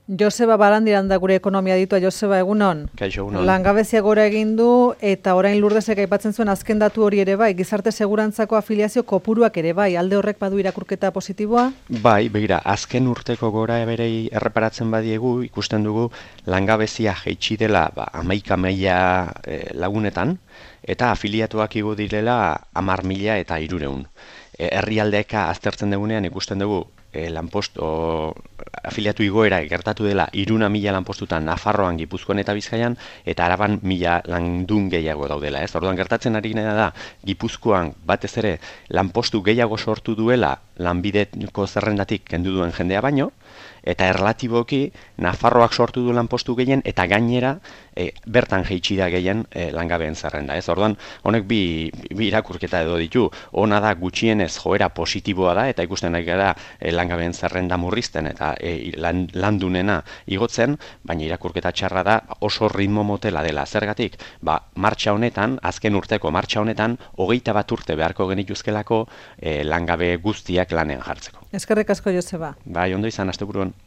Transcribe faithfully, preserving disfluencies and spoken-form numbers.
Joseba Barandiran da gure ekonomia ditua. Joseba, egunon? Kaixo, egunon. Langabezia gora egin du eta orain Lurdesek aipatzen zuen azken datu hori ere bai, gizarte segurantzako afiliazio kopuruak ere bai, alde horrek badu irakurketa positiboa? Bai, begira, azken urteko gora berei erreparatzen badiegu, ikusten dugu langabezia jaitsi dela ba, hamaika mila e, lagunetan, eta afiliatuak igo direla hamar mila eta hirureun. E, herrialdeka aztertzen dugunean ikusten dugu E, lanpost, o, afiliatu igoera gertatu dela iruna mila lanpostutan Nafarroan, Gipuzkoan eta Bizkaian, eta Araban mila landun gehiago daudela. Ez? Orduan gertatzen ari gena da, Gipuzkoan batez ere lanpostu gehiago sortu duela lanbideko zerrendatik kendu duen jendea baino, eta erlatiboki Nafarroak sortu du lanpostu gehien, eta gainera e, bertan jaitsi da gehien e, langabeen zerrenda. Ez? Orduan, honek bi, bi irakurketa edo ditu, ona da gutxienez joera positiboa da, eta ikusten nahi gara e, langabeen zerrenda murrizten eta e, lan, landunena igotzen, baina irakurketa txarra da oso ritmo motela dela. Zergatik, ba, martxa honetan, azken urteko martxa honetan, hogeita bat urte beharko genituzkelako e, langabe guztiak lanean jartzeko. Eskerrik asko, Joseba. Bai, ondo izan, asteburuan.